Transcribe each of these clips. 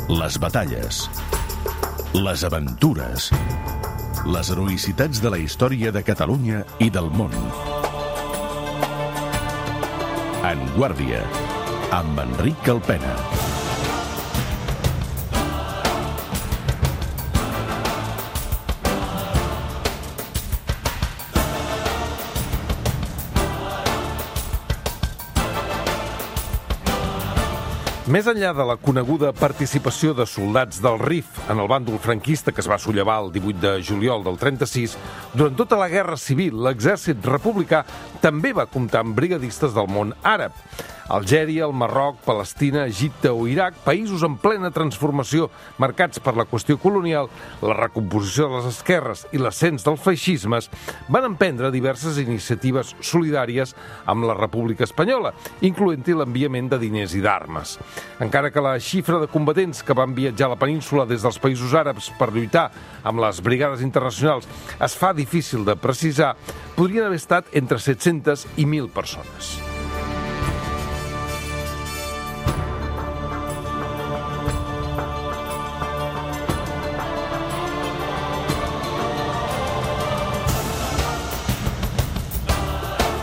Les batalles, les aventures, les heroïcitats de la història de Catalunya i del món. En Guàrdia, amb Enric Calpena. Més enllà de la coneguda participació de soldats del RIF en el bàndol franquista que es va sollevar el 18 de juliol del 36, durant tota la Guerra Civil l'exèrcit republicà també va comptar amb brigadistes del món àrab. Algèria, el Marroc, Palestina, Egipte o Iraq, països en plena transformació marcats per la qüestió colonial, la recomposició de les esquerres i l'ascens dels feixismes, van emprendre diverses iniciatives solidàries amb la República Espanyola, incloent-hi l'enviament de diners i d'armes. Encara que la xifra de combatents que van viatjar a la península des dels països àrabs per lluitar amb les brigades internacionals es fa difícil de precisar, podrien haver estat entre 700 i 1.000 persones.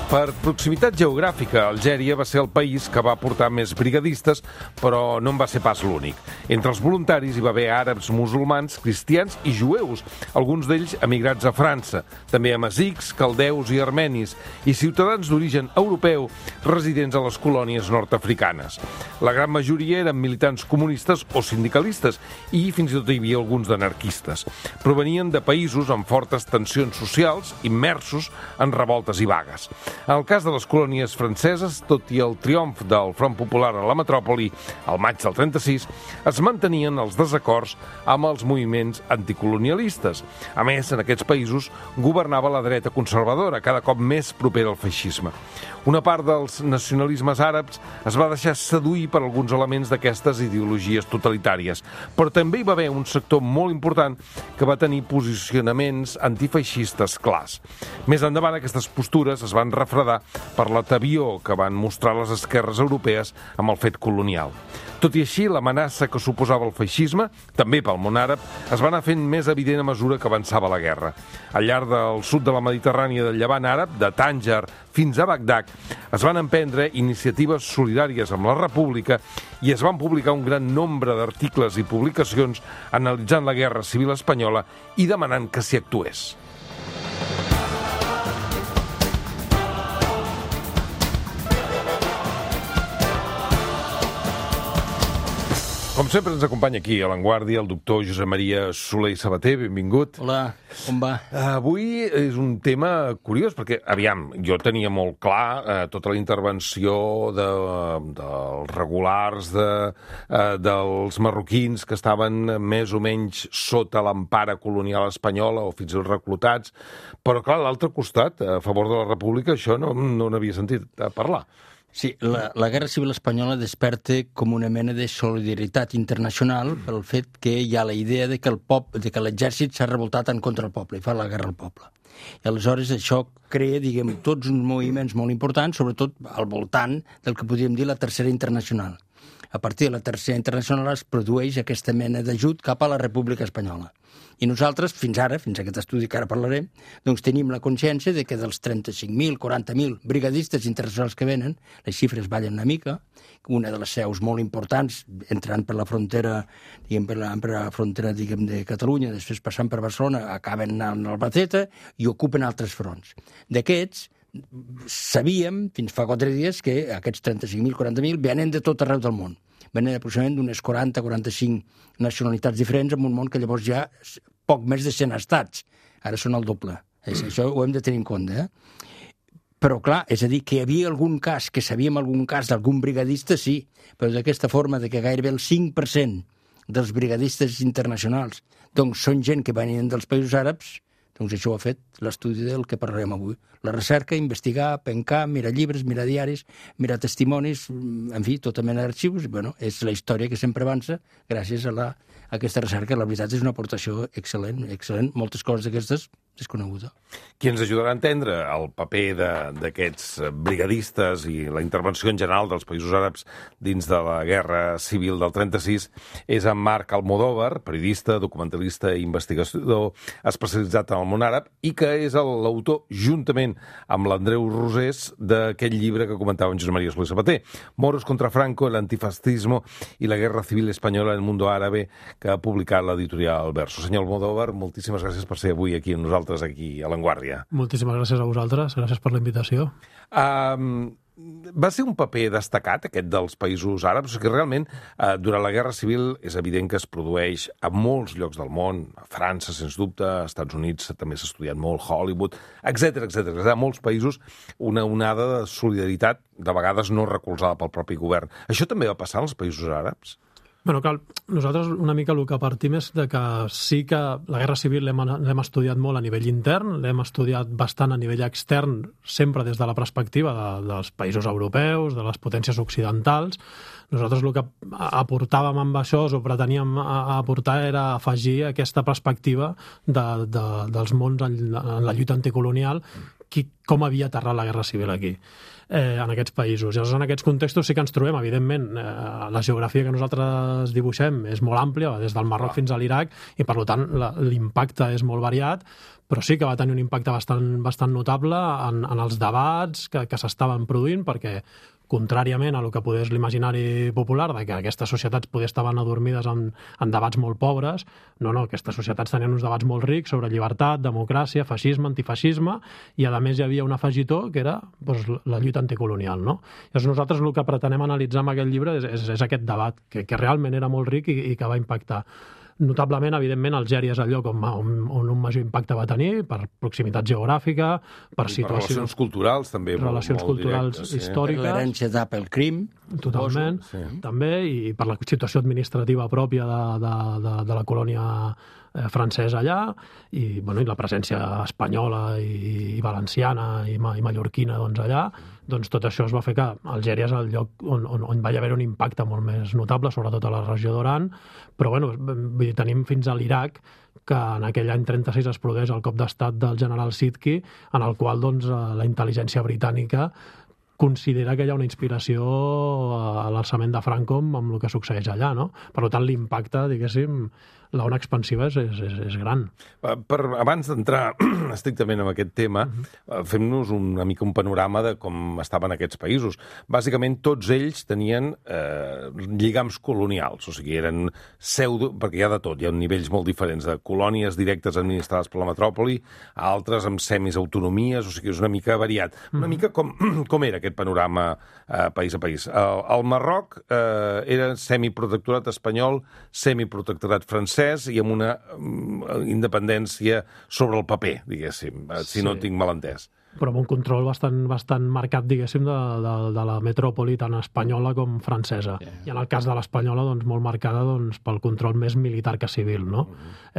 Per proximitat geogràfica, Algèria va ser el país que va portar més brigadistes, però no en va ser pas l'únic. Entre els voluntaris hi va haver àrabs, musulmans, cristians i jueus, alguns d'ells emigrats a França, també amazics, caldeus i armenis, i ciutadans d'origen europeu residents a les colònies nord-africanes. La gran majoria eren militants comunistes o sindicalistes, i fins i tot hi havia alguns d'anarquistes. Provenien de països amb fortes tensions socials, immersos en revoltes i vagues. En el cas de les colònies franceses, tot i el triomf del Front Popular a la metròpoli al maig del 36, es mantenien els desacords amb els moviments anticolonialistes. A més, en aquests països governava la dreta conservadora, cada cop més propera al feixisme. Una part dels nacionalismes àrabs es va deixar seduir per alguns elements d'aquestes ideologies totalitàries, però també hi va haver un sector molt important que va tenir posicionaments antifeixistes clars. Més endavant, aquestes postures es van refredar per l'atavió que van mostrar les esquerres europees amb el fet colonial. Tot i així, l'amenaça que suposava el feixisme, també pel món àrab, es va anar fent més evident a mesura que avançava la guerra. Al llarg del sud de la Mediterrània del Llevant àrab, de Tànger fins a Bagdad, es van emprendre iniciatives solidàries amb la República i es van publicar un gran nombre d'articles i publicacions analitzant la Guerra Civil espanyola i demanant que s'hi actués. Com sempre ens acompanya aquí a l'Avantguàrdia el doctor Josep Maria Soler i Sabater, benvingut. Hola, com va? Avui és un tema curiós, perquè, aviam, jo tenia molt clar tota la intervenció dels regulars, dels marroquins que estaven més o menys sota l'empara colonial espanyola o fins i tot reclutats, però clar, a l'altre costat, a favor de la República, això no n'havia sentit parlar. Sí, la Guerra Civil Espanyola desperta com una mena de solidaritat internacional pel fet que hi ha la idea de que l'exèrcit s'ha revoltat en contra del poble i fa la guerra al poble. I aleshores això crea, diguem, tots uns moviments molt importants, sobretot al voltant del que podríem dir la Tercera Internacional. A partir de la Tercera Internacional es produeix aquesta mena d'ajut cap a la República Espanyola. I nosaltres, fins ara, fins a aquest estudi que ara parlarem, doncs tenim la consciència de que dels 35.000, 40.000 brigadistes internacionals que venen, les xifres ballen una mica, una de les seus molt importants, entrant per la frontera, diguem, per la frontera, diguem, de Catalunya, després passant per Barcelona, acaben anant a Albacete i ocupen altres fronts. D'aquests, sabíem, fins fa 4 dies, que aquests 35.000, 40.000 venen de tot arreu del món. Venen aproximadament d'unes 40-45 nacionalitats diferents en un món que llavors ja poc més de 100 estats. Ara són el doble. Això ho hem de tenir en compte. Però clar, és a dir, que hi havia algun cas, que sabíem algun cas d'algun brigadista, sí, però d'aquesta forma de que gairebé el 5% dels brigadistes internacionals doncs són gent que venien dels països àrabs, doncs això ho ha fet l'estudi del que parlarem avui. La recerca, investigar, pencar, mirar llibres, mirar diaris, mirar testimonis, en fi, tota mena d'arxius. Bueno, és la història que sempre avança gràcies a aquesta recerca. La veritat és una aportació excel·lent, excel·lent. Moltes coses d'aquestes desconeguda. Qui ens ajudarà a entendre el paper d'aquests brigadistes i la intervenció en general dels països àrabs dins de la Guerra Civil del 36 és en Marc Almodóvar, periodista, documentalista i investigador especialitzat en el món àrab i que és l'autor, juntament amb l'Andreu Rosés, d'aquest llibre que comentava en Josep María Solé Sabater, Moros contra Franco, el antifascismo i la Guerra Civil Espanyola en el mundo árabe, que ha publicat l'editorial Verso. Senyor Almodóvar, moltíssimes gràcies per ser avui aquí amb nosaltres, aquí a L'Enguàrdia. Moltíssimes gràcies a vosaltres, gràcies per la invitació. Va ser un paper destacat, aquest dels països àrabs, que realment durant la Guerra Civil és evident que es produeix a molts llocs del món, a França, sens dubte, als Estats Units també s'ha estudiat molt, Hollywood, etc. A molts països una onada de solidaritat, de vegades no recolzada pel propi govern. Això també va passar als països àrabs? Bueno, clar, nosaltres una mica el que partim és de que sí que la Guerra Civil l'hem estudiat molt a nivell intern, l'hem estudiat bastant a nivell extern, sempre des de la perspectiva dels països europeus, de les potències occidentals. Nosaltres el que aportàvem amb això, o preteníem aportar, era afegir aquesta perspectiva dels mons en la lluita anticolonial, com havia aterrat la Guerra Civil aquí, en aquests països. Llavors, en aquests contextos sí que ens trobem, evidentment, la geografia que nosaltres dibuixem és molt àmplia, des del Marroc fins a l'Iraq, i per tant l'impacte és molt variat, però sí que va tenir un impacte bastant notable en els debats que s'estaven produint, perquè contràriament a el que és l'imaginari popular, de que aquestes societats poder estaven adormides en debats molt pobres, no, aquestes societats tenien uns debats molt rics sobre llibertat, democràcia, feixisme, antifeixisme, i a més hi havia un afegitó que era la lluita anticolonial, no? Llavors nosaltres el que pretenem analitzar amb aquest llibre és aquest debat, que realment era molt ric i que va impactar. Notablement, evidentment, Algèria és el lloc on un major impacte va tenir, per proximitat geogràfica, per situació... Relacions culturals, també. Relacions culturals històriques. Per l'herència pel crim. Totalment, també, i per la situació administrativa pròpia de la colònia francesa allà, i la presència espanyola i valenciana i mallorquina allà, doncs tot això es va fer que Algèria és el lloc on va haver un impacte molt més notable, sobretot a la regió d'Oran, però tenim fins a l'Iraq, que en aquell any 36 es produeix el cop d'estat del general Sidki, en el qual la intel·ligència britànica considera que hi ha una inspiració a l'alçament de Franco amb el que succeeix allà, no? Per tant, l'impacte, diguéssim, la ona expansiva és gran. Abans d'entrar estrictament en aquest tema, fem-nos una mica un panorama de com estaven aquests països. Bàsicament, tots ells tenien lligams colonials, o sigui, eren perquè hi ha de tot, hi ha nivells molt diferents, de colònies directes administrades per la metròpoli, altres amb semisautonomies, o sigui, és una mica variat. Una mica com era aquest panorama país a país. El Marroc era semiprotectorat espanyol, semiprotectorat francès i amb una independència sobre el paper, diguéssim, si no tinc mal entès. Però amb un control bastant marcat, diguéssim, de la metròpoli tant espanyola com francesa. I en el cas de l'espanyola, molt marcada pel control més militar que civil, no?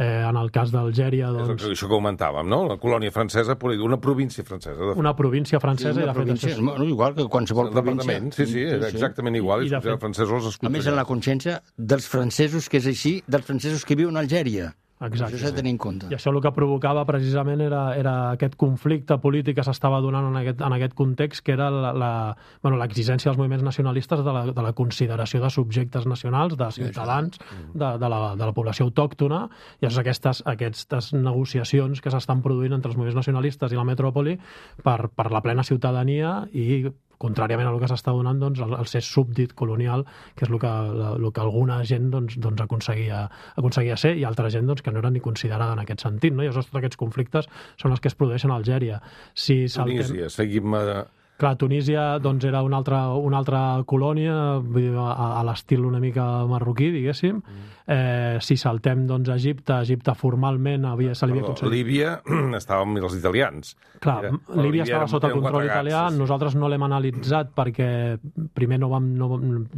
En el cas d'Algèria... És això que comentàvem, no? La colònia francesa, una província francesa. Una província francesa i de fet... Igual que qualsevol província. Sí, era exactament igual. I els francesos els... A més, en la consciència dels francesos que és així, dels francesos que viuen a Algèria. Exacte. Això s'ha de tenir en compte. I això el que provocava precisament era aquest conflicte polític que s'estava donant en aquest context, que era l'exigència dels moviments nacionalistes de la consideració de subjectes nacionals, de ciutadans, de la població autòctona, i aquestes negociacions que s'estan produint entre els moviments nacionalistes i la metròpoli per la plena ciutadania i contràriament a el que s'està donant, el ser súbdit colonial, que és el que alguna gent aconseguia ser, i altra gent que no era ni considerada en aquest sentit, no? I llavors tots aquests conflictes són els que es produeixen a Algèria. Tunísia, seguim... Clar, Tunísia era una altra colònia, a l'estil una mica marroquí, diguéssim. Si saltem Egipte formalment se li havia concedit... Líbia estava amb els italians. Clar, Líbia estava sota control italià, nosaltres no l'hem analitzat perquè primer no vam,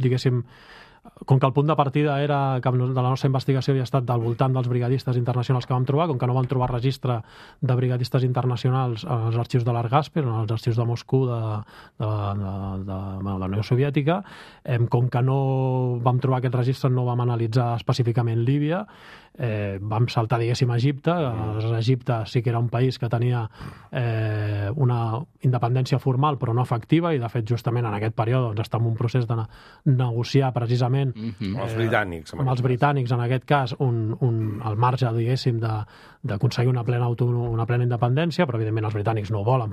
diguéssim, com que el punt de partida era que de la nostra investigació havia estat del voltant dels brigadistes internacionals que vam trobar, com que no vam trobar registre de brigadistes internacionals en els arxius de l'Argasper, en els arxius de Moscou de la Unió Soviètica, com que no vam trobar aquest registre, no vam analitzar específicament Líbia, vam saltar, diguéssim, a Egipte. Egipte sí que era un país que tenia una independència formal però no efectiva, i de fet justament en aquest període doncs, està en un procés de negociar precisament amb els britànics, en aquest cas, al marge, diguéssim, d'aconseguir una plena independència, però evidentment els britànics no ho volen,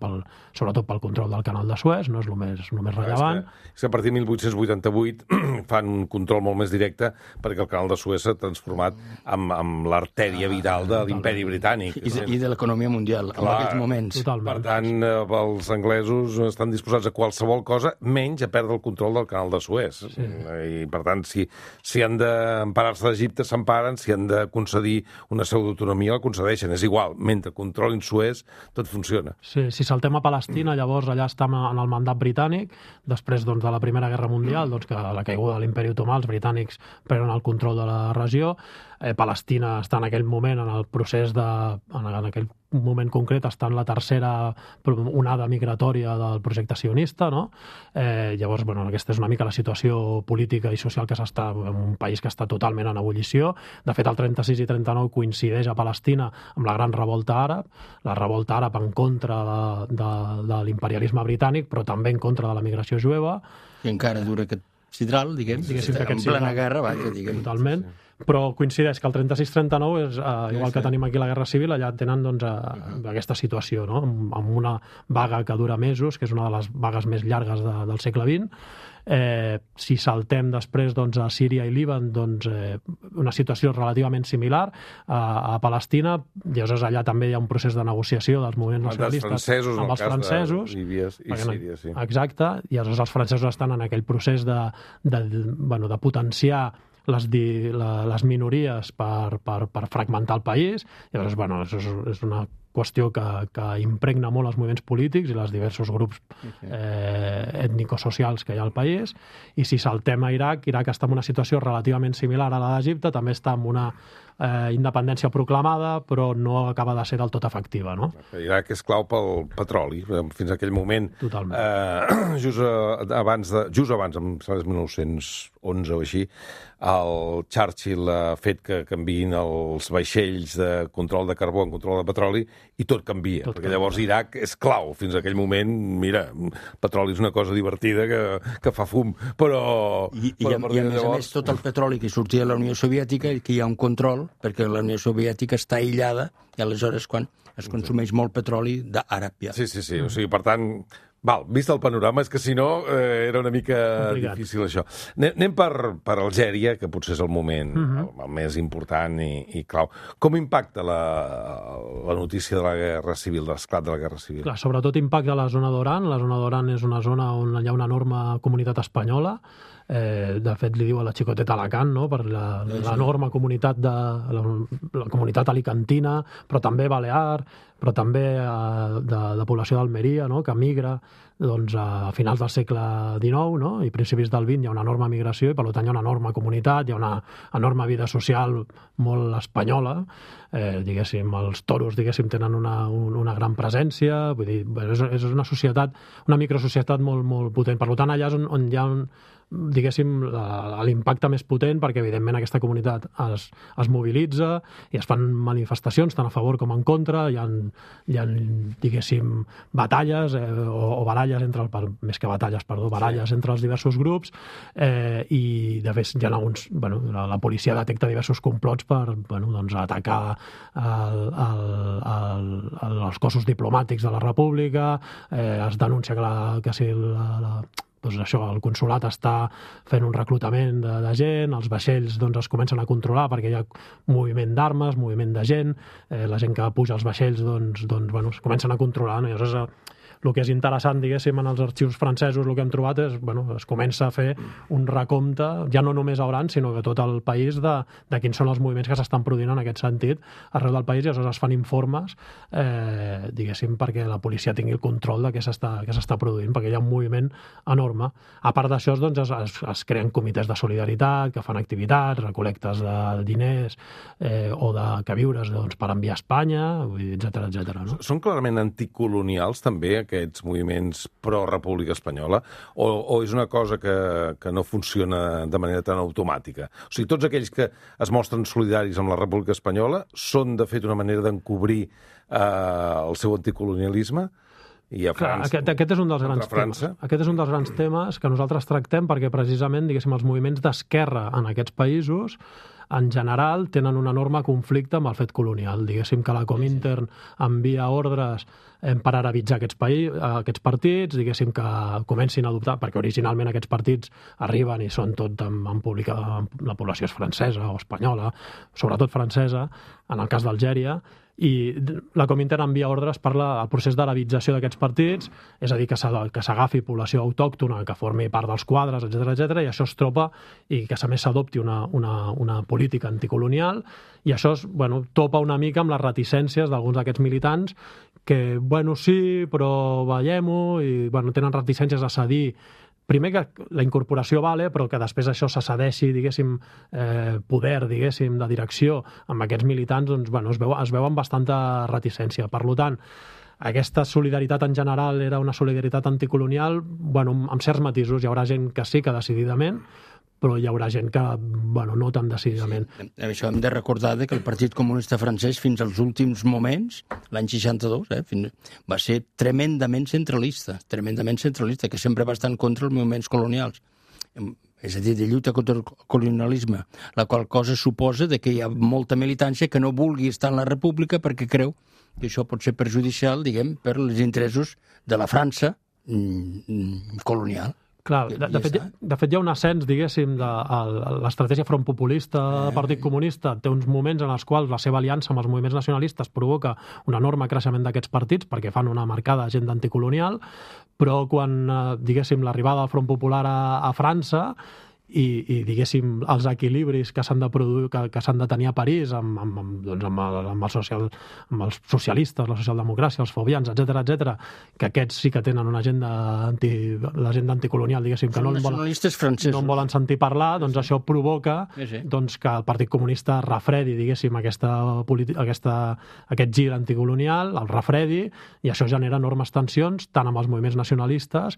sobretot pel control del canal de Suez, no és el més rellevant. És que a partir de 1888 fan un control molt més directe perquè el canal de Suez s'ha transformat amb l'artèria vital de l'imperi britànic. I de l'economia mundial, en aquells moments. Per tant, els anglesos estan disposats a qualsevol cosa, menys a perdre el control del canal de Suez. I, per tant, si han d'emparar-se d'Egipte, s'emparen, si han de concedir una pseudoautonomia, la concedeixen. És igual, mentre controlin Suez, tot funciona. Sí, si saltem a Palestina, llavors allà estem en el mandat britànic, després de la Primera Guerra Mundial, que a la caiguda de l'imperi otomà, els britànics prenen el control de la regió. Palestina està en aquell moment en el procés en aquell moment concret està en la tercera onada migratòria del projecte sionista, no? Llavors, aquesta és una mica la situació política i social que s'està en un país que està totalment en ebullició. De fet, el 36 i 39 coincideix a Palestina amb la gran revolta àrab, la revolta àrab en contra de l'imperialisme britànic, però també en contra de la migració jueva. I encara dura aquest sidral, diguem, en plena guerra, vaja, diguem. Totalment. Però coincideix que el 36-39 és, igual que tenim aquí la Guerra Civil, allà tenen aquesta situació, no? Amb una vaga que dura mesos, que és una de les vagues més llargues del segle XX. Si saltem després a Síria i Líban, una situació relativament similar. A Palestina, llavors allà també hi ha un procés de negociació dels moviments nacionalistes amb els francesos. Líbia i Síria, sí. Exacte, i llavors els francesos estan en aquell procés de potenciar les minories per fragmentar el país. Llavors, això és una qüestió que impregna molt els moviments polítics i els diversos grups ètnico-socials que hi ha al país. I si saltem a Iraq està en una situació relativament similar a la d'Egipte, també està en una independència proclamada, però no acaba de ser del tot efectiva, no? Iraq és clau pel petroli. Fins a aquell moment, just abans, em sembla 1911 o així, el Churchill ha fet que canviïn els vaixells de control de carbó en control de petroli i tot canvia, perquè llavors Iraq és clau. Fins a aquell moment, mira, el petroli és una cosa divertida que fa fum, però... I a més, tot el petroli que sortia de la Unió Soviètica, que hi ha un control, perquè la Unió Soviètica està aïllada, i aleshores quan es consumeix molt petroli d'àrab. Sí. O sigui, per tant, vist el panorama, és que si no era una mica difícil això. Anem per Algèria, que potser és el moment el més important i clau. Com impacta la notícia de la Guerra Civil, de l'esclat de la Guerra Civil? Clar, sobretot impacta a la zona d'Oran. La zona d'Oran és una zona on hi ha una enorme comunitat espanyola. De fet, li diu a la xicoteta Alacant, no? Per l'enorme comunitat la comunitat alicantina, però també balear, però també de població d'Almeria, no? Que migra a finals del segle XIX, no? I principis del XX hi ha una enorme migració i per tant hi ha una enorme comunitat, hi ha una enorme vida social molt espanyola. Diguéssim, els toros tenen una gran presència, vull dir, és una societat, una microsocietat molt, molt potent. Per tant, allà és on hi ha diguéssim, l'impacte més potent, perquè evidentment aquesta comunitat es mobilitza i es fan manifestacions tant a favor com en contra. Hi ha diguéssim, batalles o baralles més que batalles, baralles entre els diversos grups, i de fet hi ha alguns, la policia detecta diversos complots per atacar els cossos diplomàtics de la República. Es denuncia que si el consolat està fent un reclutament de gent, els vaixells es comencen a controlar perquè hi ha moviment d'armes, moviment de gent, la gent que puja als vaixells es comencen a controlar, no? I llavors el que és interessant, diguéssim, en els arxius francesos el que hem trobat és, es comença a fer un recompte, ja no només a Oran, sinó que tot el país de quins són els moviments que s'estan produint en aquest sentit arreu del país, i aleshores es fan informes, diguéssim, perquè la policia tingui el control de què s'està produint, perquè hi ha un moviment enorme. A part d'això, doncs, es creen comitès de solidaritat que fan activitats, recol·lectes de diners o de queviures per enviar a Espanya, etcètera, etcètera. No? Són clarament anticolonials també aquests moviments pro-República Espanyola o és una cosa que no funciona de manera tan automàtica? O sigui, tots aquells que es mostren solidaris amb la República Espanyola són, de fet, una manera d'encobrir el seu anticolonialisme? I a França, aquest és un dels grans temes. Aquest és un dels grans temes que nosaltres tractem perquè precisament, diguéssim, els moviments d'esquerra en aquests països en general tenen un enorme conflicte amb el fet colonial. Diguéssim que la Comintern envia ordres per arabitzar aquests partits, diguéssim que comencin a adoptar, perquè originalment aquests partits arriben i són tot en pública, la població és francesa o espanyola, sobretot francesa, en el cas d'Algèria, i la Comintern envia ordres per al procés d'arabització d'aquests partits, és a dir, que s'agafi població autòctona que formi part dels quadres, etcètera, i això es tropa i que a més s'adopti una política anticolonial, i això topa una mica amb les reticències d'alguns d'aquests militants que, sí, però veiem-ho, i tenen reticències a cedir. Primer que la incorporació vale, però que després això se cedeixi, diguéssim, poder, diguéssim, de direcció amb aquests militants, doncs, es veu amb bastanta reticència. Per tant, aquesta solidaritat en general era una solidaritat anticolonial, amb certs matisos. Hi haurà gent que sí, que decididament, però hi haurà gent que, no tan decididament. Sí, això hem de recordar que el Partit Comunista francès fins als últims moments, l'any 62, va ser tremendament centralista, que sempre va estar en contra dels moviments colonials. És a dir, de lluita contra el colonialisme, la qual cosa suposa que hi ha molta militància que no vulgui estar en la república perquè creu que això pot ser perjudicial, diguem, per als interessos de la França colonial. Clar, de fet hi ha un ascens, diguéssim, de l'estratègia front populista del Partit Comunista. Té uns moments en els quals la seva aliança amb els moviments nacionalistes provoca un enorme creixement d'aquests partits perquè fan una marcada agenda anticolonial, però quan, diguéssim, l'arribada del Front Popular a França i diguéssim, els equilibris que s'han de produir, que s'han de tenir a París amb els socialistes, la socialdemocràcia, els fobians, etcètera, que aquests sí que tenen una agenda l'agenda anticolonial, diguéssim, que no en volen sentir parlar, doncs això provoca doncs, que el Partit Comunista refredi, diguéssim, aquest gir anticolonial, el refredi, i això genera enormes tensions, tant amb els moviments nacionalistes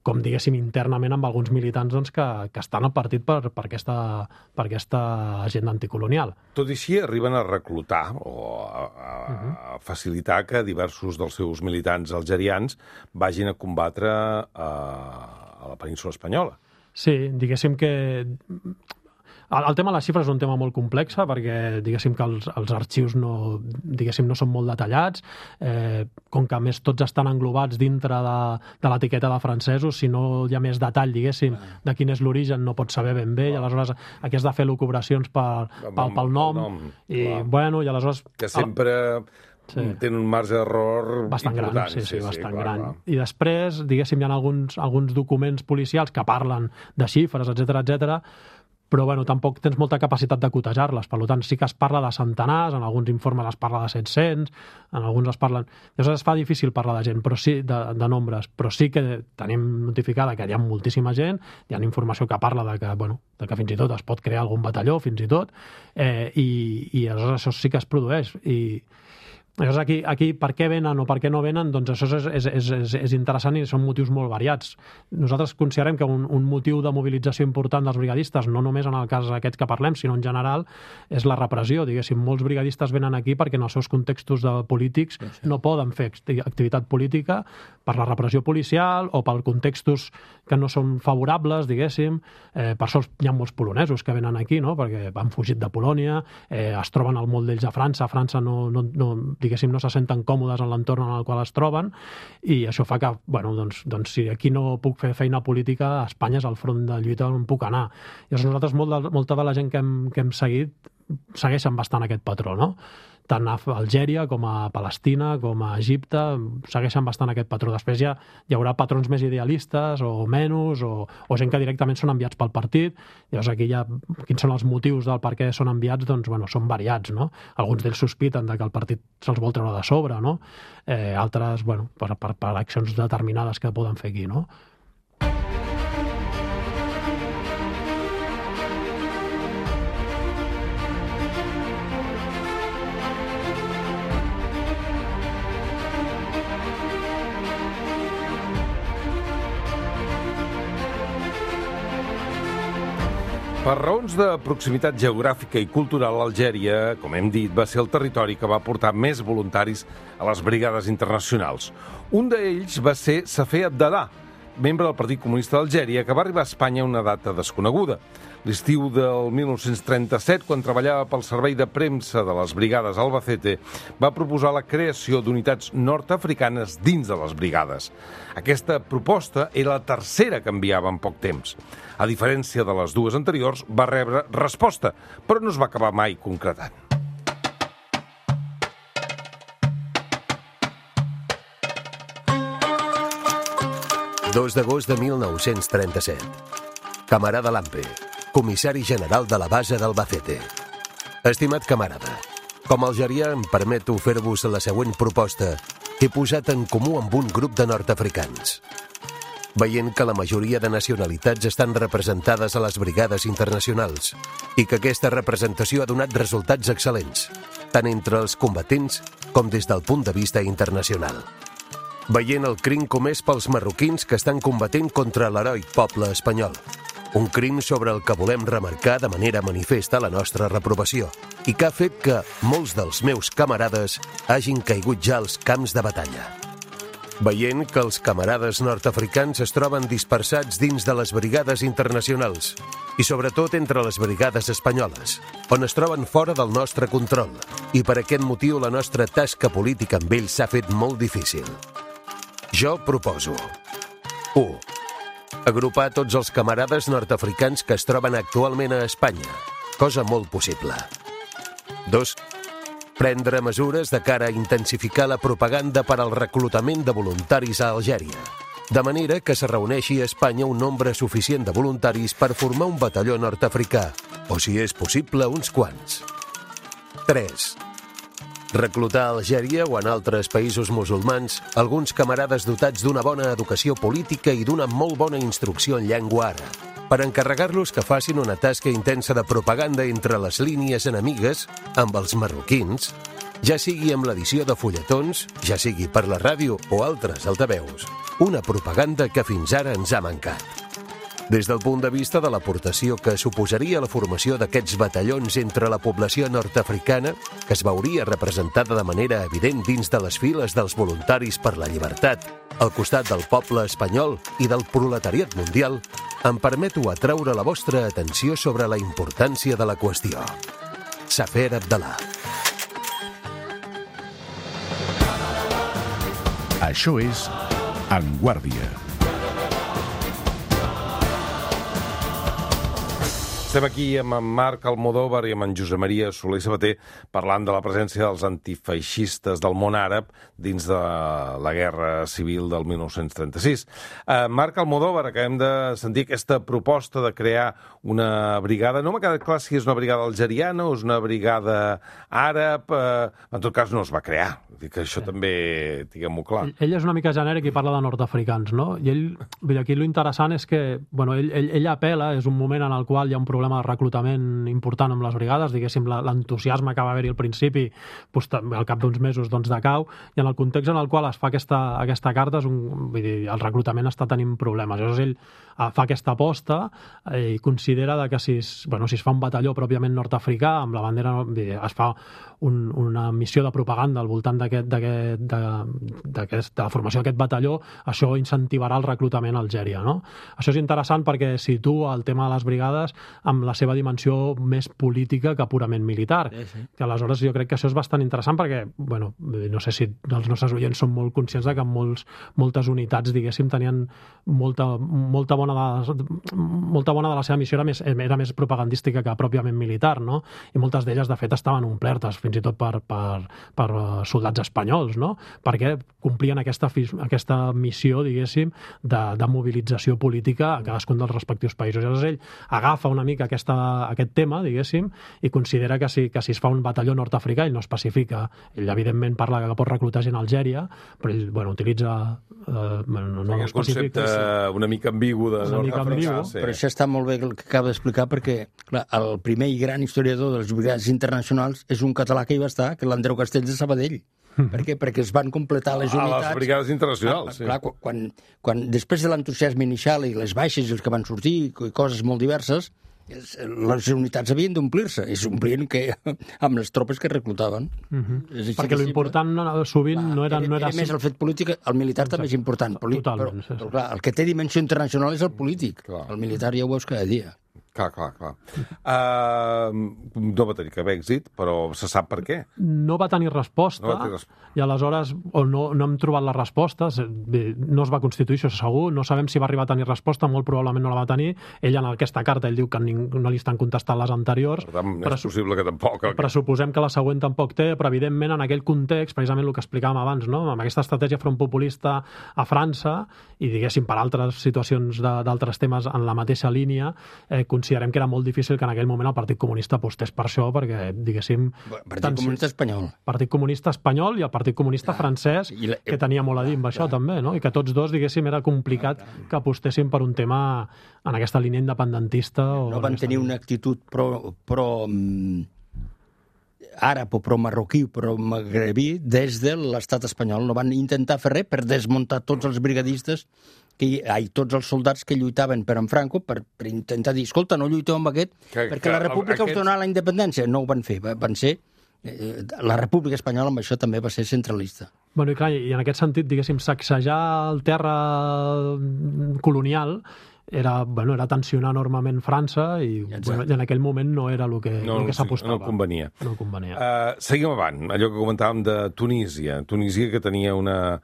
com, diguéssim, internament amb alguns militants doncs, que estan al partit per aquesta agenda anticolonial. Tot i així, arriben a reclutar o a facilitar que diversos dels seus militants algerians vagin a combatre a la península espanyola. Sí, diguéssim que el tema de les xifres és un tema molt complex perquè, diguéssim, que els arxius no són molt detallats, com que a més tots estan englobats dintre de l'etiqueta de francesos, si no hi ha més detall, diguéssim, de quin és l'origen, no pots saber ben bé, i aleshores aquí has de fer locubracions pel nom, i aleshores... Que sempre... Sí. Tenen un marge d'error bastant important. Gran, sí, bastant gran. I després, diguéssim, hi ha alguns documents policials que parlen de xifres, etcètera, però tampoc tens molta capacitat de cotejar-les. Per tant, sí que es parla de centenars, en alguns informes es parla de 700, en alguns es parlen... Llavors es fa difícil parlar de gent, però sí de nombres, però sí que tenim notificada que hi ha moltíssima gent, hi ha informació que parla de que fins i tot es pot crear algun batalló, fins i tot, i aleshores això sí que es produeix. I llavors aquí per què venen o per què no venen, doncs això és interessant i són motius molt variats. Nosaltres considerem que un motiu de mobilització important dels brigadistes, no només en el cas aquest que parlem, sinó en general, és la repressió. Diguéssim, molts brigadistes venen aquí perquè en els seus contextos polítics no poden fer activitat política per la repressió policial o per contextos que no són favorables, diguéssim. Per això hi ha molts polonesos que venen aquí, no? Perquè han fugit de Polònia, es troben al molt d'ells a França. A França diguéssim, no se senten còmodes en l'entorn en el qual es troben, i això fa que, doncs si aquí no puc fer feina política, a Espanya és el front de lluita on puc anar. I llavors nosaltres, molta de la gent que hem seguit, segueixen bastant aquest patró, no? Tant a Algèria com a Palestina com a Egipte segueixen bastant aquest patró. Després ja hi haurà patrons més idealistes o menys, o gent que directament són enviats pel partit. Llavors aquí ja, quins són els motius del per què són enviats, doncs, bueno, són variats, no? Alguns d'ells sospiten que el partit se'ls vol treure de sobre, no? Altres, bueno, per accions determinades que poden fer aquí, no? Per raons de proximitat geogràfica i cultural, Algèria, com hem dit, va ser el territori que va portar més voluntaris a les brigades internacionals. Un d'ells va ser Safé Abdallah, membre del Partit Comunista d'Algèria, que va arribar a Espanya a una data desconeguda. L'estiu del 1937, quan treballava pel servei de premsa de les brigades Albacete, va proposar la creació d'unitats nord-africanes dins de les brigades. Aquesta proposta era la tercera que enviava en poc temps. A diferència de les dues anteriors, va rebre resposta, però no es va acabar mai concretant. – 2 d'agost de 1937. Camarada Lampe, comissari general de la base d'Albacete. Estimat camarada, com a algerià em permeto fer-vos la següent proposta que he posat en comú amb un grup de nord-africans. Veient que la majoria de nacionalitats estan representades a les brigades internacionals i que aquesta representació ha donat resultats excel·lents, tant entre els combatents com des del punt de vista internacional. Veient el crim comès pels marroquins que estan combatent contra l'heroic poble espanyol, un crim sobre el que volem remarcar de manera manifesta la nostra reprovació i que ha fet que molts dels meus camarades hagin caigut ja als camps de batalla. Veient que els camarades nord-africans es troben dispersats dins de les brigades internacionals i sobretot entre les brigades espanyoles, on es troben fora del nostre control, i per aquest motiu la nostra tasca política amb ells s'ha fet molt difícil. Jo proposo 1. Agrupar tots els camarades nord-africans que es troben actualment a Espanya, cosa molt possible. 2. Prendre mesures de cara a intensificar la propaganda per al reclutament de voluntaris a Algèria, de manera que se reuneixi a Espanya un nombre suficient de voluntaris per formar un batalló nord-africà, o si és possible, uns quants. 3. Reclutar a Algèria o en altres països musulmans alguns camarades dotats d'una bona educació política i d'una molt bona instrucció en llengua àrab, per encarregar-los que facin una tasca intensa de propaganda entre les línies enemigues amb els marroquins, ja sigui amb l'edició de fulletons, ja sigui per la ràdio o altres altaveus, una propaganda que fins ara ens ha mancat. Des del punt de vista de l'aportació que suposaria la formació d'aquests batallons entre la població nord-africana, que es veuria representada de manera evident dins de les files dels voluntaris per la llibertat, al costat del poble espanyol i del proletariat mundial, em permeto atraure la vostra atenció sobre la importància de la qüestió. Safé Abdallah. Això és En Guàrdia. Estem aquí amb en Marc Almodóvar i amb en Josep Maria Soler Sabater parlant de la presència dels antifeixistes del món àrab dins de la Guerra Civil del 1936. Marc Almodóvar, acabem de sentir aquesta proposta de crear una brigada. No m'ha quedat clar si és una brigada algeriana o és una brigada àrab. En tot cas, no es va crear. Que això també, diguem-ho clar. Ell és una mica genèric i parla de nord-africans, no? I ell, aquí l'interessant és que, bueno, ell apela, és un moment en el qual hi ha un problema de reclutament important amb les brigades, diguéssim, l'entusiasme que va haver-hi al principi, doncs, al cap d'uns mesos doncs, decau, i en el context en el qual es fa aquesta carta, vull dir, el reclutament està tenint problemes. Llavors ell fa aquesta aposta i considera que si es fa un batalló pròpiament nord-africà, amb la bandera, es fa una missió de propaganda al voltant de la formació d'aquest batalló, això incentivarà el reclutament a Algèria, no? Això és interessant perquè situa el tema de les brigades amb la seva dimensió més política que purament militar. Que aleshores jo crec que això és bastant interessant perquè, bueno, no sé si els nostres oients són molt conscients de que moltes unitats, diguéssim, tenien molta bona de la seva missió era més propagandística que pròpiament militar, no? I moltes d'elles, de fet, estaven omplertes, fins i tot per soldats espanyols, no? Perquè complien aquesta missió, diguéssim, de mobilització política a cadascun dels respectius països. Llavors ell agafa una mica aquest tema, diguéssim, i considera que si es fa un batalló nord-africà, ell no especifica. Ell, evidentment, parla que pot reclutar gent a Algèria, però ell, utilitza... no concepte una mica ambigu de nord-africà. Però això està molt bé el que acaba d'explicar, perquè clar, el primer i gran historiador de les brigades internacionals és un català que hi va estar, que l'Andreu Castells de Sabadell. Per què? Perquè es van completar les unitats... A les brigades internacionals, sí. Clar, quan després de l'entusiasme inicial i les baixes i els que van sortir, i coses molt diverses, les unitats havien d'omplir-se, i s'omplien amb les tropes que reclutaven. Perquè l'important sovint no era més el fet polític, el militar també és important, però clar, el que té dimensió internacional és el polític. El militar ja ho veus cada dia. Clar. No va tenir cap èxit, però se sap per què. No va tenir resposta, i aleshores no hem trobat les respostes, no es va constituir, això segur, no sabem si va arribar a tenir resposta, molt probablement no la va tenir. Ell en aquesta carta ell diu que no li estan contestant les anteriors. Per tant, és possible que tampoc. Pressuposem que la següent tampoc té, però evidentment en aquell context, precisament el que explicàvem abans, no? Amb aquesta estratègia front populista a França, i diguéssim per altres situacions d'altres temes en la mateixa línia, considerem que era molt difícil que en aquell moment el Partit Comunista apostés per això, perquè, diguéssim... Partit Comunista Espanyol. Partit Comunista Espanyol i el Partit Comunista francès, que tenia molt a dir amb això, també, no? I que tots dos, diguéssim, era complicat que apostessin per un tema en aquesta línia independentista. No van tenir una actitud pro àrab o pro-marroquí o pro-magrebí des de l'estat espanyol. No van intentar fer res per desmuntar tots els brigadistes, tots els soldats que lluitaven per en Franco, per intentar dir, escolta, no lluiteu amb aquest, perquè la República us donarà la independència. No ho van fer, van ser... La República Espanyola amb això també va ser centralista. Bueno, i clar, i en aquest sentit, diguéssim, sacsejar el terra colonial era tensionar enormement França i en aquell moment no era el que s'apostava. No convenia. No convenia. Seguim avant, allò que comentàvem de Tunísia. Tunísia que tenia una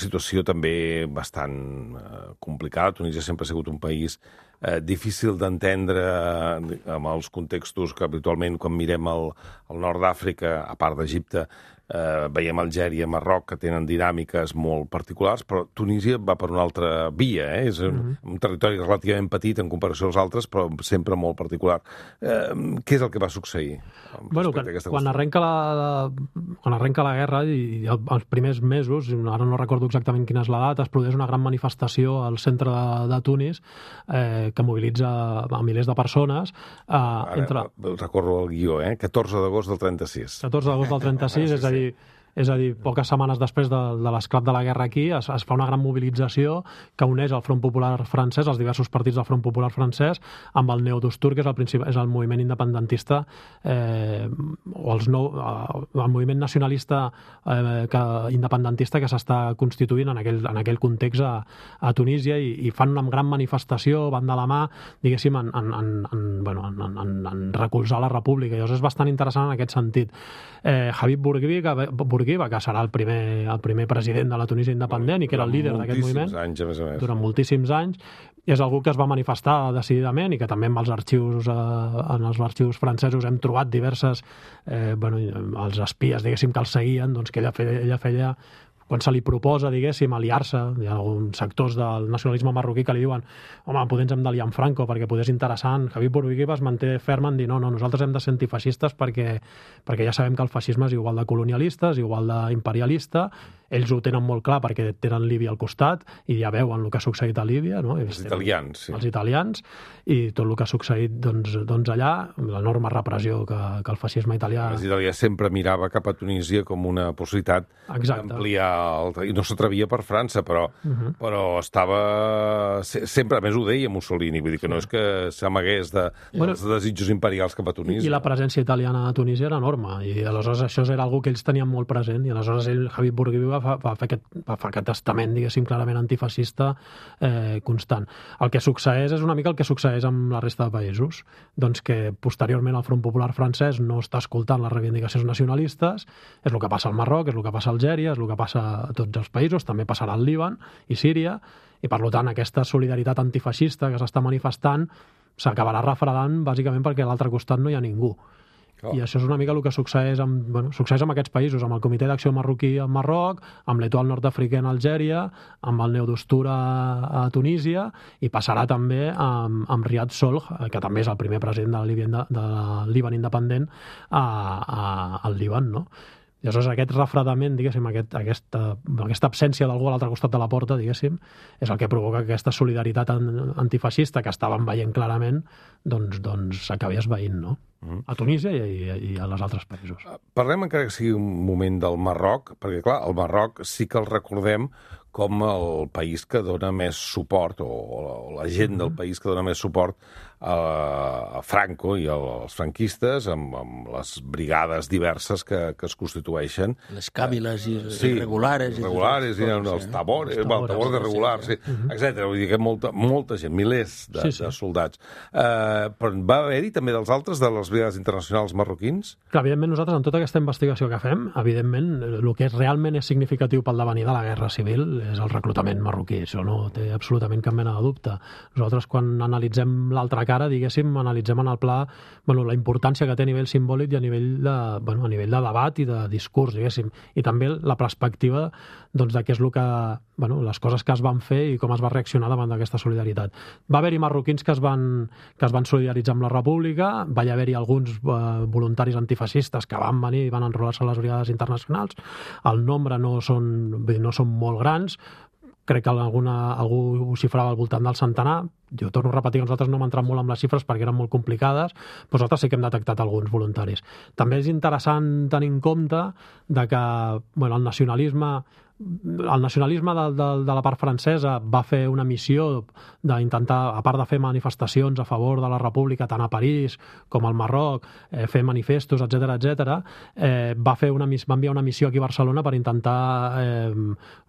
situació també bastant complicada. Tunísia sempre ha sigut un país difícil d'entendre amb els contextos que habitualment quan mirem el nord d'Àfrica, a part d'Egipte, veiem Algèria, Marroc, que tenen dinàmiques molt particulars, però Tunísia va per una altra via, és un territori relativament petit en comparació als altres, però sempre molt particular. Què és el que va succeir? Bueno, quan arrenca la guerra i els primers mesos, ara no recordo exactament quina és la data, es produeix una gran manifestació al centre de Tunis que mobilitza a milers de persones. Recordo el guió, 14 d'agost del 36. 14 d'agost del 36, és a dir, poques setmanes després de l'esclat de la guerra aquí, es fa una gran mobilització que uneix el Front Popular francès, els diversos partits del Front Popular francès, amb el Neodustur, que és el moviment independentista, o el moviment nacionalista independentista que s'està constituint en aquell context a Tunísia, i fan una gran manifestació, van de la mà, diguéssim, en recolzar la república. Llavors és bastant interessant en aquest sentit. Habib Bourguiba, que serà el primer president de la Tunísia independent i que era el líder d'aquest moviment durant moltíssims anys, és algú que es va manifestar decididament i que també en els arxius francesos hem trobat diverses els espies, diguéssim, que el seguien, doncs que ella feia quan se li proposa, diguéssim, aliar-se, hi ha alguns sectors del nacionalisme marroquí que li diuen home, potser ens hem d'aliar amb Franco perquè potser és interessant. Habib Bourguiba es manté ferm en dir no, nosaltres hem de ser antifeixistes perquè ja sabem que el feixisme és igual de colonialista, és igual d'imperialista, ells ho tenen molt clar perquè tenen Líbia al costat i ja veuen el que ha succeït a Líbia, no? Els italians, sí. Els italians, i tot el que ha succeït doncs allà, l'enorme repressió que el feixisme italià... L'Italià sempre mirava cap a Tunísia com una possibilitat d'ampliar, i no s'atrevia per França, però estava... Sempre, a més ho deia Mussolini, vull dir que no és que s'amagués dels desitjos imperials cap a Tunísia. I la presència italiana a Tunísia era enorme, i aleshores això era algo que ells tenien molt present, i aleshores ell, Habib Bourguiba, espanyola va fer aquest testament, diguéssim, clarament antifeixista constant. El que succeeix és una mica el que succeeix amb la resta de països, doncs que posteriorment el Front Popular francès no està escoltant les reivindicacions nacionalistes, és el que passa al Marroc, és el que passa a Algèria, és el que passa a tots els països, també passarà al Líban i Síria, i per tant aquesta solidaritat antifeixista que s'està manifestant s'acabarà refredant bàsicament perquè a l'altre costat no hi ha ningú. I això és una mica el que succeeix amb aquests països, amb el Comitè d'Acció Marroquí al Marroc, amb l'Etoile Nord-Africain a Algèria, amb el Neodostura a Tunísia, i passarà també amb Riyad Solh, que també és el primer president del Líban independent al Líban, no? I aleshores aquest refredament, diguéssim, aquesta absència d'algú a l'altre costat de la porta, diguéssim, és el que provoca que aquesta solidaritat antifeixista que estàvem veient clarament doncs s'acabi esvaint, no? A Tunísia i a les altres països. Parlem encara que sigui un moment del Marroc, perquè clar, el Marroc sí que el recordem com el país que dona més suport, o la gent del país que dona més suport a Franco i als franquistes, amb les brigades diverses que es constitueixen. Les càbiles irregulares. Irregulares, els tabores, tabors irregulars, etc. Vull dir que molta gent, milers de soldats. Però va haver-hi també dels altres, de les brigades internacionals marroquins? Clar, evidentment nosaltres, en tota aquesta investigació que fem, evidentment, el que realment és significatiu pel devenir de la Guerra Civil és el reclutament marroquí. Això no té absolutament cap mena de dubte. Nosaltres, quan analitzem l'altra cara, diguéssim, analitzem en el pla la importància que té a nivell simbòlic i a nivell de debat i de discurs, diguéssim, i també la perspectiva de què és el que, les coses que es van fer i com es va reaccionar davant d'aquesta solidaritat. Va haver-hi marroquins que es van solidaritzar amb la República, va haver-hi alguns voluntaris antifeixistes que van venir i van enrolar-se a les brigades internacionals. El nombre no són molt grans, crec que algú ho xifrava al voltant del centenar. Jo torno a repetir que nosaltres no hem entrat molt amb les xifres perquè eren molt complicades, però nosaltres sí que hem detectat alguns voluntaris. També és interessant tenir en compte que el nacionalisme de la part francesa va fer una missió d'intentar, a part de fer manifestacions a favor de la República tant a París com al Marroc, fer manifestos, etc., va enviar una missió aquí a Barcelona per intentar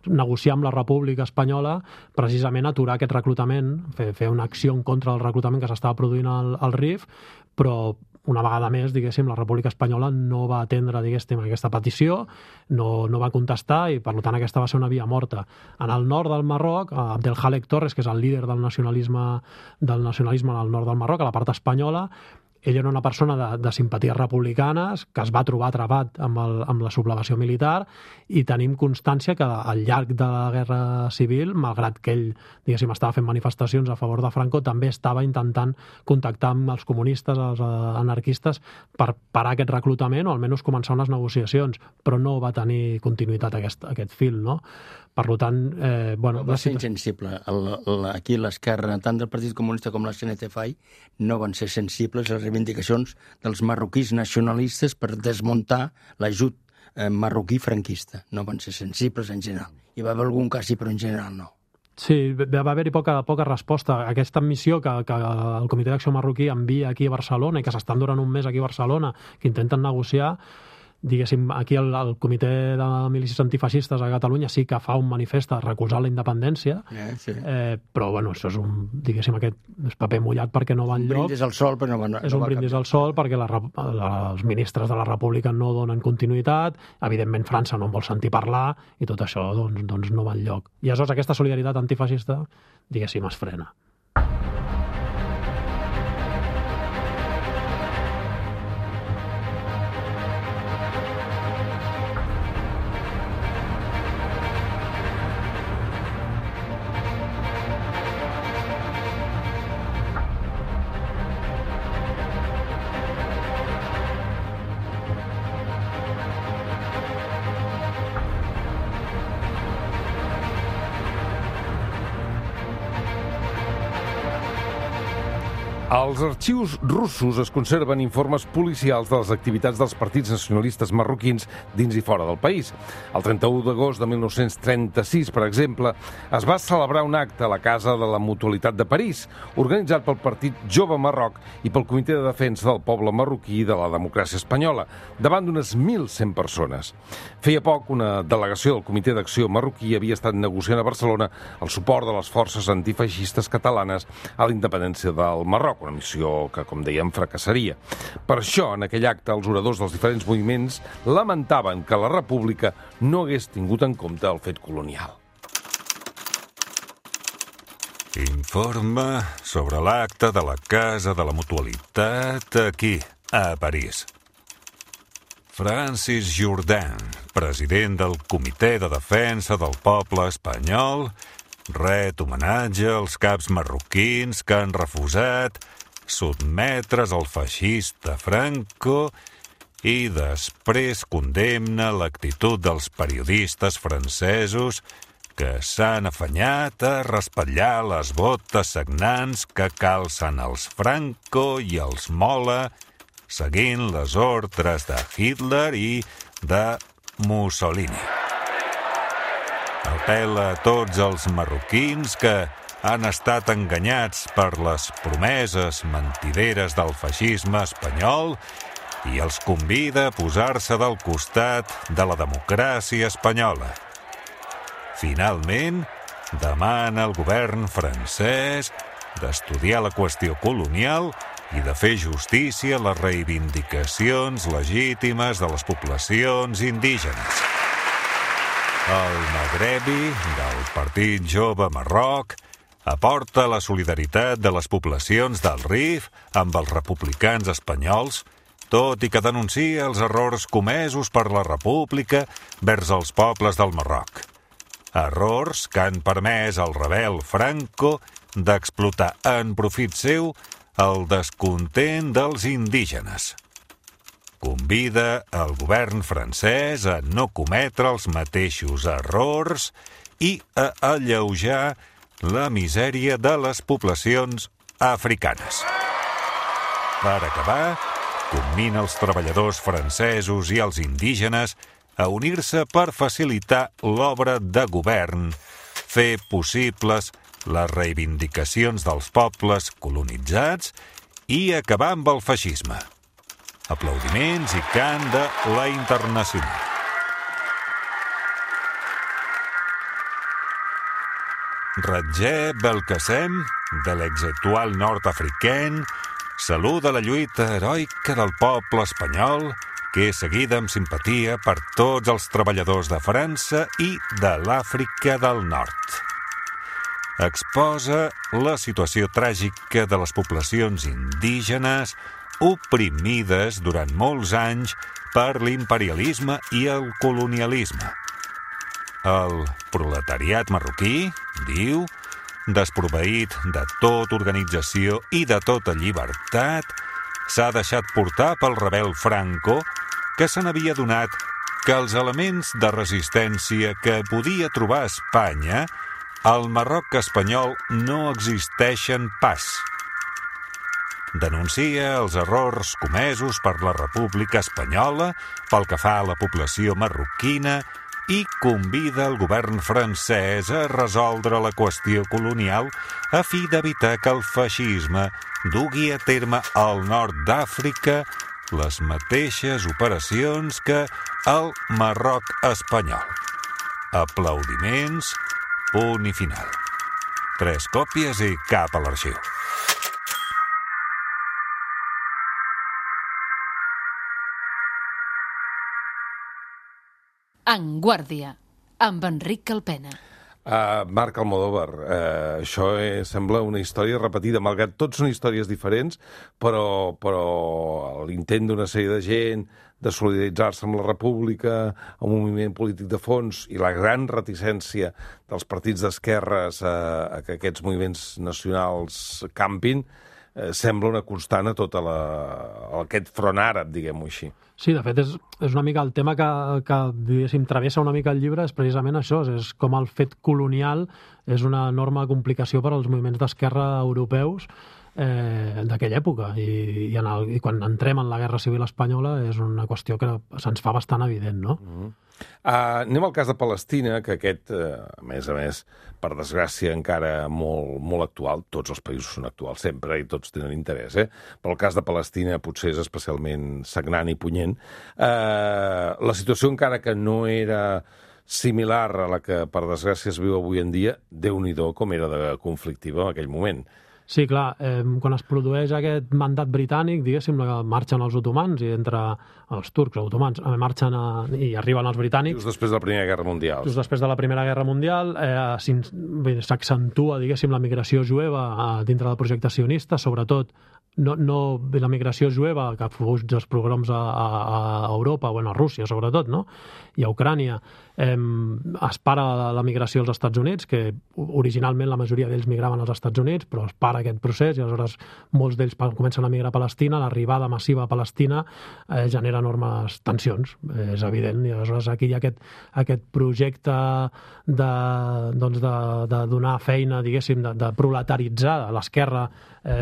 negociar amb la República Espanyola precisament aturar aquest reclutament, fer una acció en contra del reclutament que s'estava produint al RIF, però una vegada més, diguéssim, la República Espanyola no va atendre, diguéssim, aquesta petició, no va contestar i, per tant, aquesta va ser una via morta. En el nord del Marroc, Abdelhalek Torres, que és el líder del nacionalisme al nord del Marroc, a la part espanyola, ell era una persona de simpaties republicanes que es va trobar atrapat amb la sublevació militar i tenim constància que al llarg de la Guerra Civil, malgrat que ell, diguéssim, estava fent manifestacions a favor de Franco, també estava intentant contactar amb els comunistes, els anarquistes, per parar aquest reclutament o almenys començar unes negociacions, però no va tenir continuïtat aquest fil, no? Per tant, va ser insensible. Aquí l'esquerra, tant del Partit Comunista com la CNT-FAI, no van ser sensibles a les reivindicacions dels marroquís nacionalistes per desmuntar l'ajut marroquí franquista. No van ser sensibles en general. Hi va haver algun cas, però en general no. Sí, va haver-hi poca resposta. Aquesta missió que el Comitè d'Acció Marroquí envia aquí a Barcelona i que s'estan durant un mes aquí a Barcelona, que intenten negociar, diguéssim, aquí el Comitè de Milícies Antifeixistes a Catalunya sí que fa un manifest a recolzar la independència, però això és diguéssim, aquest paper mullat perquè no va enlloc. Un brindis al sol, però no va. És un brindis al sol perquè els ministres de la República no donen continuïtat, evidentment França no en vol sentir parlar i tot això doncs no va enlloc. I aleshores aquesta solidaritat antifeixista, diguéssim, es frena. Als arxius russos es conserven informes policials de les activitats dels partits nacionalistes marroquins dins i fora del país. El 31 d'agost de 1936, per exemple, es va celebrar un acte a la Casa de la Mutualitat de París, organitzat pel Partit Jove Marroc i pel Comitè de Defensa del Poble Marroquí i de la Democràcia Espanyola, davant d'unes 1.100 persones. Feia poc, una delegació del Comitè d'Acció Marroquí havia estat negociant a Barcelona el suport de les forces antifeixistes catalanes a la independència del Marroc, una missió que, com dèiem, fracassaria. Per això, en aquell acte, els oradors dels diferents moviments lamentaven que la República no hagués tingut en compte el fet colonial. Informe sobre l'acte de la Casa de la Mutualitat aquí, a París. Francis Jourdain, president del Comitè de Defensa del Poble Espanyol, ret homenatge als caps marroquins que han refusat sotmetre's al feixista Franco i després condemna l'actitud dels periodistes francesos que s'han afanyat a raspallar les botes sagnants que calcen els Franco i els Mola seguint les ordres de Hitler i de Mussolini. Apel·la a tots els marroquins que han estat enganyats per les promeses mentideres del feixisme espanyol i els convida a posar-se del costat de la democràcia espanyola. Finalment, demana al govern francès d'estudiar la qüestió colonial i de fer justícia a les reivindicacions legítimes de les poblacions indígenes. El Magrebi, del Partit Jove Marroc, aporta la solidaritat de les poblacions del Rif amb els republicans espanyols, tot i que denuncia els errors comesos per la República vers els pobles del Marroc. Errors que han permès al rebel Franco d'explotar en profit seu el descontent dels indígenes. Convida el govern francès a no cometre els mateixos errors i a alleujar la misèria de les poblacions africanes. Per acabar, commina els treballadors francesos i els indígenes a unir-se per facilitar l'obra de govern, fer possibles les reivindicacions dels pobles colonitzats i acabar amb el feixisme. Aplaudiments i cant de la Internacional. Roger Belkacem, de l'ex-Étoile nord-africaine, saluda la lluita heroica del poble espanyol, que és seguida amb simpatia per tots els treballadors de França i de l'Àfrica del Nord. Exposa la situació tràgica de les poblacions indígenes oprimides durant molts anys per l'imperialisme i el colonialisme. El proletariat marroquí, diu, desproveït de tota organització i de tota llibertat, s'ha deixat portar pel rebel Franco, que se n'havia donat que els elements de resistència que podia trobar a Espanya, al Marroc espanyol no existeixen pas. Denuncia els errors comesos per la República Espanyola pel que fa a la població marroquina i convida el govern francès a resoldre la qüestió colonial a fi d'evitar que el feixisme dugui a terme al nord d'Àfrica les mateixes operacions que el Marroc espanyol. Aplaudiments, punt i final. 3 còpies i cap a l'arxiu. En Guàrdia, amb Enric Calpena. Marc Almodóvar, això sembla una història repetida, malgrat tot són històries diferents, però l'intent d'una sèrie de gent de solidaritzar-se amb la República, amb un moviment polític de fons i la gran reticència dels partits d'esquerres a que aquests moviments nacionals campin, sembla una constant a tot aquest front àrab, diguem-ho així. Sí, de fet, és una mica el tema que diguéssim, travessa una mica el llibre, és precisament això, és com el fet colonial és una enorme complicació per als moviments d'esquerra europeus, d'aquella època. I quan entrem en la Guerra Civil Espanyola és una qüestió que se'ns fa bastant evident, no? Anem al cas de Palestina, que aquest, a més, per desgràcia, encara molt actual. Tots els països són actuals sempre i tots tenen interès, però el cas de Palestina potser és especialment sagnant i punyent. La situació, encara que no era similar a la que, per desgràcia, es viu avui en dia, Déu-n'hi-do com era de conflictiva en aquell moment. Sí, clar, quan es produeix aquest mandat britànic, diguéssim, marxen els otomans i entre els turcs, els otomans, marxen i arriben els britànics. Just després de la Primera Guerra Mundial. Just després de la Primera Guerra Mundial s'accentua, diguéssim, la migració jueva dintre del projecte sionista, sobretot no la migració jueva que fuig dels pogroms a Europa, bueno, a Rússia sobretot, no? I a Ucrània. Es para la migració als Estats Units, que originalment la majoria d'ells migraven als Estats Units, però es para aquest procés i aleshores molts d'ells comencen a migrar a Palestina. L'arribada massiva a Palestina genera enormes tensions, és evident, i aleshores aquí hi ha aquest projecte de donar feina, diguéssim, de proletaritzar. L'esquerra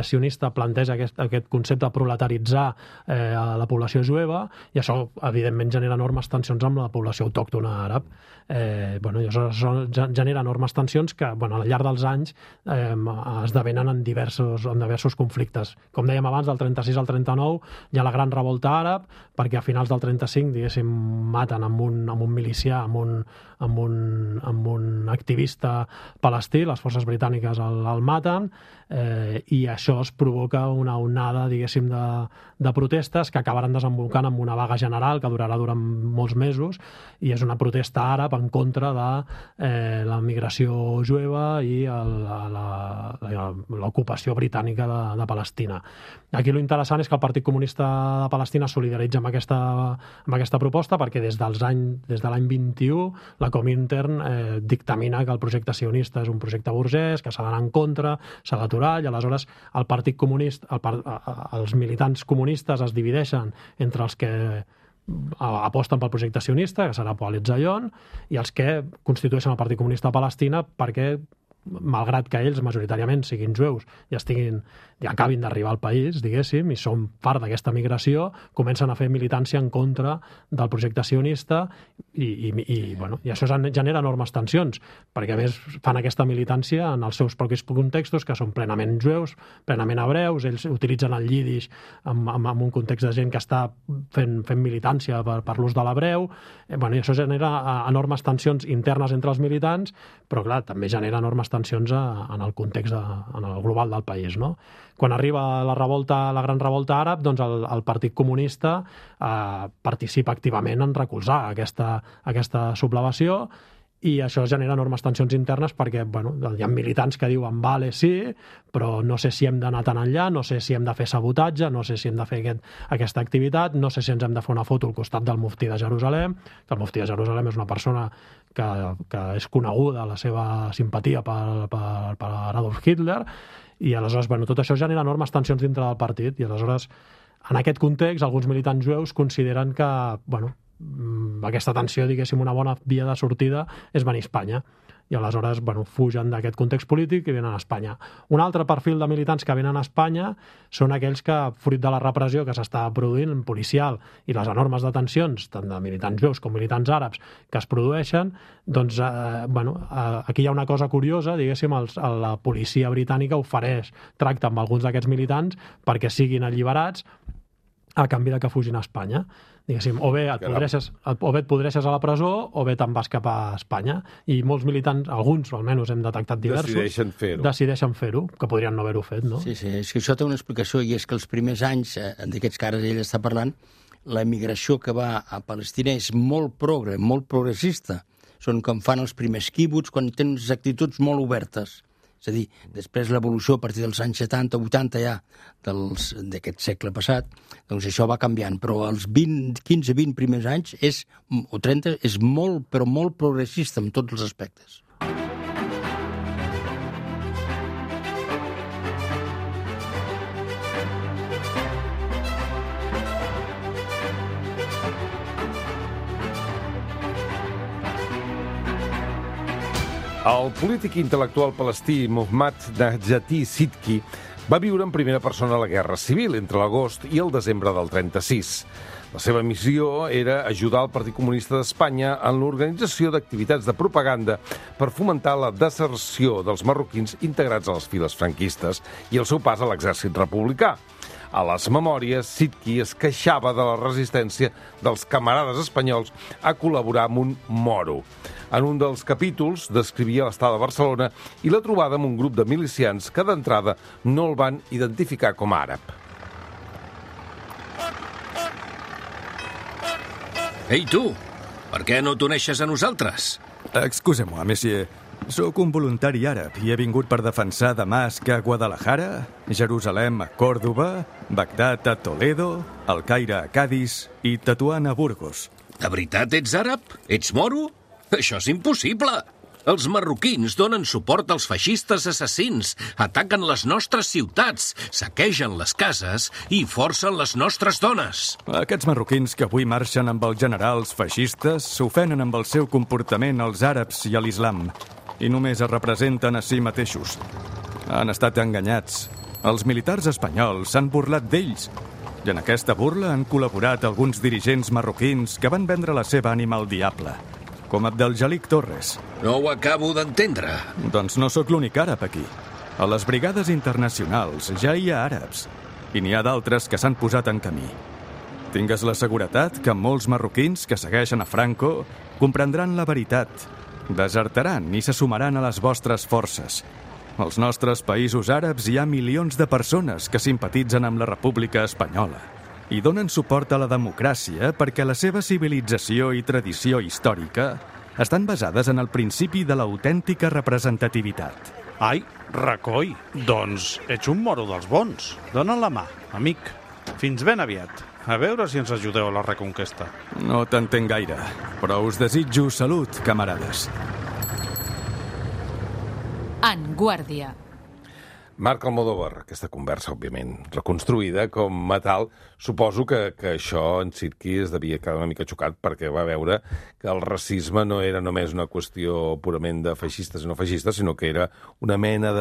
sionista planteja aquest concepte de proletaritzar a la població jueva, i això evidentment genera enormes tensions amb la població autòctona àrab. I això genera enormes tensions que al llarg dels anys esdevenen en diversos conflictes. Com dèiem abans, del 36 al 39 hi ha la gran revolta àrab, perquè a finals del 35, diguéssim, maten amb un milicià, amb un activista palestí, les forces britàniques el maten, i això es provoca una onada, diguéssim, de protestes que acabaran desembocant en una vaga general que durarà durant molts mesos, i és una protesta àrab en contra de la migració jueva i l'ocupació britànica de Palestina. Aquí lo interessant és que el Partit Comunista de Palestina solidaritza amb aquesta proposta, perquè des de l'any 21 la Comintern dictamina que el projecte sionista és un projecte burgès, que s'ha d'anar en contra, s'ha d'aturar, i aleshores el Partit Comunista, els militants comunistes es divideixen entre els que aposten pel projecte sionista, que serà Poalet Zion, i els que constitueixen el Partit Comunista de Palestina, perquè malgrat que ells majoritàriament siguin jueus i acabin d'arribar al país, diguéssim, i són part d'aquesta migració, comencen a fer militància en contra del projecte sionista, i això genera enormes tensions, perquè a més fan aquesta militància en els seus propis contextos, que són plenament jueus, plenament hebreus. Ells utilitzen el llidish en un context de gent que està fent militància per l'ús de l'hebreu, i això genera enormes tensions internes entre els militants, però clar, també genera enormes tensions en el context en el global del país, no? Quan arriba la gran revolta àrab, doncs el Partit Comunista participa activament en recolzar aquesta sublevació, i això genera enormes tensions internes, perquè hi ha militants que diuen vale, sí, però no sé si hem d'anar tan enllà, no sé si hem de fer sabotatge, no sé si hem de fer aquesta activitat, no sé si ens hem de fer una foto al costat del muftí de Jerusalem, que el muftí de Jerusalem és una persona que és coneguda la seva simpatia per Adolf Hitler, i aleshores tot això genera enormes tensions dintre del partit, i aleshores en aquest context alguns militants jueus consideren que aquesta tensió, diguéssim, una bona via de sortida és venir a Espanya, i aleshores fugen d'aquest context polític i venen a Espanya. Un altre perfil de militants que venen a Espanya són aquells que, fruit de la repressió que s'està produint policial i les enormes detencions, tant de militants jueus com militants àrabs, que es produeixen, doncs aquí hi ha una cosa curiosa, diguéssim, la policia britànica ofereix tracte amb alguns d'aquests militants perquè siguin alliberats a canvi de que fugin a Espanya. Diguéssim, o bé et podreixes a la presó o bé te'n vas cap a Espanya. I molts militants, alguns almenys hem detectat diversos, decideixen fer-ho, que podrien no haver-ho fet, no? Sí, és que això té una explicació, i és que els primers anys d'aquests que ara ell està parlant, la migració que va a Palestina és molt progressista. Són com fan els primers quibuts, quan tenen unes actituds molt obertes. És a dir, després l'evolució a partir dels anys 70, 80 ja d'aquest segle passat, doncs això va canviant, però els 15-20 primers anys o 30 és molt, però molt progressista en tots els aspectes. El polític intel·lectual palestí Mohammad Najati Sidki Va viure en primera persona la Guerra Civil entre l'agost i el desembre del 36. La seva missió era ajudar el Partit Comunista d'Espanya en l'organització d'activitats de propaganda per fomentar la deserció dels marroquins integrats a les files franquistes i el seu pas a l'exèrcit republicà. A les memòries, Sitki es queixava de la resistència dels camarades espanyols a col·laborar amb un moro. En un dels capítols descrivia l'estada a Barcelona i la trobada amb un grup de milicians que d'entrada no el van identificar com a àrab. Ei, tu! Per què no t'uneixes a nosaltres? Excusez-moi, monsieur. Soc un voluntari àrab i he vingut per defensar Damasc a Guadalajara, Jerusalem a Còrdova, Bagdad a Toledo, el Caire a Cadis i Tetuan a Burgos. De veritat ets àrab? Ets moro? Això és impossible! Els marroquins donen suport als feixistes assassins, ataquen les nostres ciutats, saquegen les cases i forcen les nostres dones. Aquests marroquins que avui marxen amb els generals feixistes s'ofenen amb el seu comportament als àrabs i a l'islam i només es representen a si mateixos. Han estat enganyats. Els militars espanyols s'han burlat d'ells i en aquesta burla han col·laborat alguns dirigents marroquins que van vendre la seva ànima al diable, com Abdeljalik Torres. No ho acabo d'entendre. Doncs no sóc l'únic àrab aquí. A les brigades internacionals ja hi ha àrabs i n'hi ha d'altres que s'han posat en camí. Tingues la seguretat que molts marroquins que segueixen a Franco comprendran la veritat, desertaran i se sumaran a les vostres forces. Als nostres països àrabs hi ha milions de persones que simpatitzen amb la República Espanyola i donen suport a la democràcia perquè la seva civilització i tradició històrica estan basades en el principi de l'autèntica representativitat. Ai, recoi, doncs ets un moro dels bons. Dona'n la mà, amic. Fins ben aviat. A veure si ens ajudeu a la reconquesta. No t'entenc gaire, però us desitjo salut, camarades. En Guàrdia. Marc Almodóvar, aquesta conversa, òbviament, reconstruïda com a tal. Suposo que això en Sitki es devia quedar una mica xocat perquè va veure que el racisme no era només una qüestió purament de feixistes i no feixistes, sinó que era una mena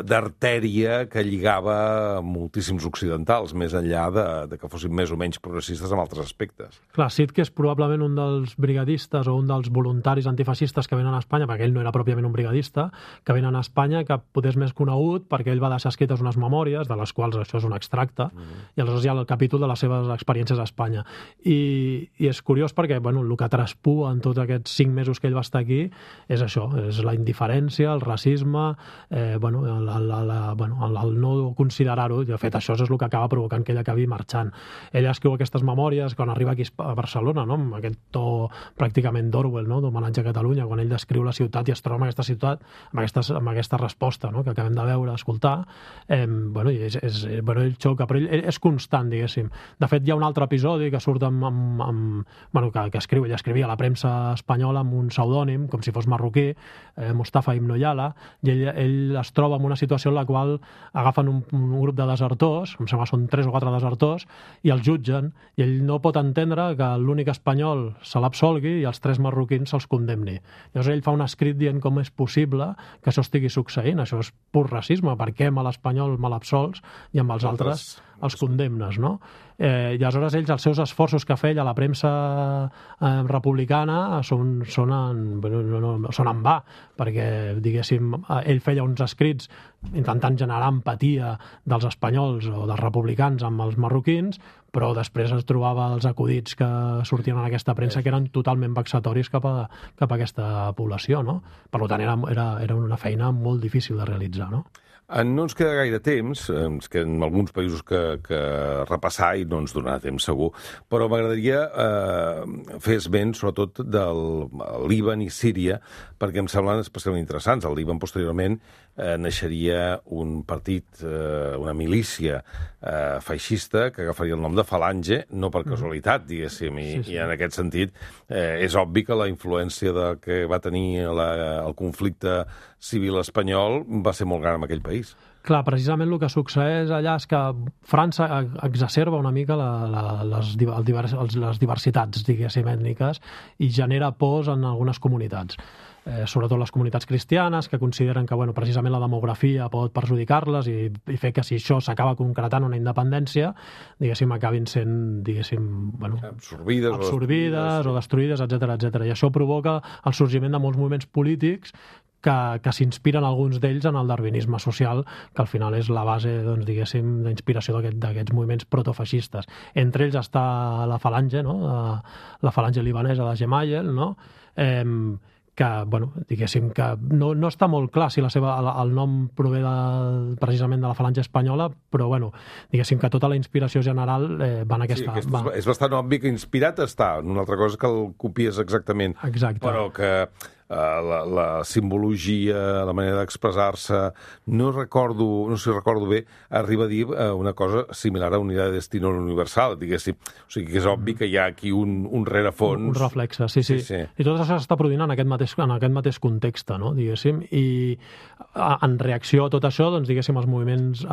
d'artèria que lligava moltíssims occidentals, més enllà de que fossin més o menys progressistes en altres aspectes. Clar, Sitki és probablement un dels brigadistes o un dels voluntaris antifeixistes que venen a Espanya, perquè ell no era pròpiament un brigadista, que venen a Espanya, que potser és més conegut perquè ell va deixar escrites unes memòries, de les quals això és un extracte, i aleshores hi ha el capítol de les seves experiències a Espanya. I és curiós perquè el que traspua en tots aquests 5 mesos que ell va estar aquí és això, és la indiferència, el racisme, el no considerar-ho. De fet, això és el que acaba provocant que ell acabi marxant. Ell escriu aquestes memòries quan arriba aquí a Barcelona, no? Amb aquest to pràcticament d'Orwell, no? D'homenatge a Catalunya, quan ell descriu la ciutat i es troba en aquesta ciutat amb aquesta resposta, no? Que acabem de veure, escoltar. Ell xoca, però ell és constant, diguéssim. De fet, hi ha un altre episodi que surt que escriu, ell escrivia a la premsa espanyola amb un pseudònim, com si fos marroquí, Mustafa Ibn Yala, i ell es troba en una situació en la qual agafen un grup de desertors, em sembla que són 3 o 4 desertors, i els jutgen, i ell no pot entendre que l'únic espanyol se l'absolgui i els 3 marroquins se'ls condemni. Llavors ell fa un escrit dient com és possible que això estigui succeint, això és pur racisme, per què amb l'espanyol me l'absols i amb els altres els condemnes, no? I aleshores ells, els seus esforços que feia a la premsa republicana són en va, perquè, diguéssim, ell feia uns escrits intentant generar empatia dels espanyols o dels republicans amb els marroquins, però després es trobava els acudits que sortien en aquesta premsa que eren totalment vexatoris cap a aquesta població, no? Per tant, era una feina molt difícil de realitzar, no? No ens queda gaire temps, ens queden alguns països que repassar i no ens donarà temps segur, però m'agradaria fer esment sobretot del Líban i Síria, perquè em semblen especialment interessants. Al Líban, posteriorment, naixeria un partit, una milícia feixista que agafaria el nom de Falange, no per casualitat, diguéssim, i en aquest sentit és obvi que la influència que va tenir el conflicte civil espanyol va ser molt gran en aquell país. Clar, precisament el que succeeix allà és que França exacerba una mica les diversitats, diguéssim, ètniques i genera pors en algunes comunitats. Sobretot les comunitats cristianes, que consideren que precisament la demografia pot perjudicar-les i fer que si això s'acaba concretant una independència, diguéssim, acabin sent, absorbides o destruïdes, etc. I això provoca el sorgiment de molts moviments polítics que s'inspiren alguns d'ells en el darwinisme social, que al final és la base, diguéssim, d'inspiració d'aquests moviments protofeixistes. Entre ells està la falange, la falange libanesa de Gemayel, que, diguéssim, que no està molt clar si el nom prové precisament de la falange espanyola, però, diguéssim que tota la inspiració general va en aquesta... Sí, és bastant obvi que inspirat està. Una altra cosa que el copies exactament. Exacte. Però que la simbologia, la manera d'expressar-se, no sé si recordo bé, arriba a dir una cosa similar a Unidad de Destino Universal, diguéssim. O sigui que és obvi que hi ha aquí un rerefons. Un reflexe, sí. I tot això s'està produint en aquest mateix context, no? Diguéssim, i en reacció a tot això, diguéssim, els moviments,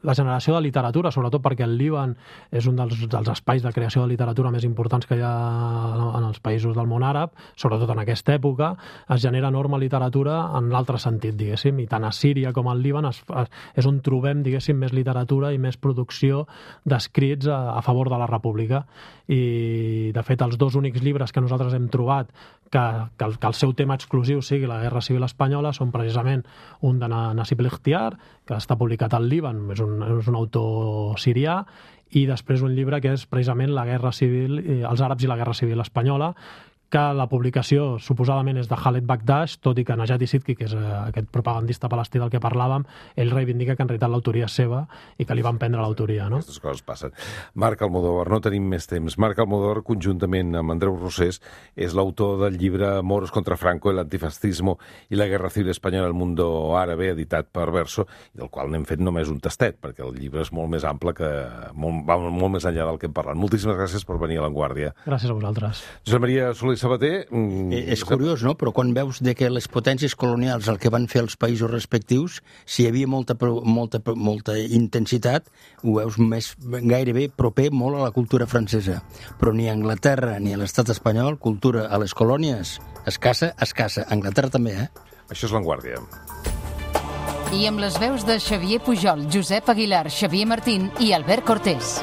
la generació de literatura, sobretot perquè el Líban és un dels espais de creació de literatura més importants que hi ha en els països del món àrab, sobretot en aquesta època, es genera enorme literatura en l'altre sentit, diguéssim, i tant a Síria com al Líban és on trobem, diguéssim, més literatura i més producció d'escrits a favor de la República. I, de fet, els dos únics llibres que nosaltres hem trobat que el seu tema exclusiu sigui la Guerra Civil Espanyola són precisament un de Nassib Likhtiar, que està publicat al Líban, és un autor sirià, i després un llibre que és precisament la Guerra Civil, els àrabs i la Guerra Civil Espanyola, que la publicació suposadament és de Khaled Bakdash, tot i que Najat Sidki, que és aquest propagandista palestí del que parlàvem, ell reivindica que en realitat l'autoria és seva i que li van prendre l'autoria, no? Aquestes coses passen. Marc Almodóvar, no tenim més temps. Marc Almodóvar, conjuntament amb Andreu Rosés, és l'autor del llibre Moros contra Franco, el antifascismo i la guerra civil espanyola al mundo árabe, editat per Verso, i del qual n'hem fet només un tastet, perquè el llibre és molt més ample, va molt més enllà del que hem parlat. Moltíssimes gràcies per venir a La Vanguardia. Gràcies a vosaltres. Josep Maria Soler Sabater... És curiós, no? Però quan veus que les potències colonials el que van fer els països respectius, si hi havia molta intensitat, ho veus gairebé proper molt a la cultura francesa. Però ni a Anglaterra ni a l'estat espanyol, cultura a les colònies, escassa. Anglaterra també, Això és La Vanguardia. I amb les veus de Xavier Pujol, Josep Aguilar, Xavier Martín i Albert Cortés.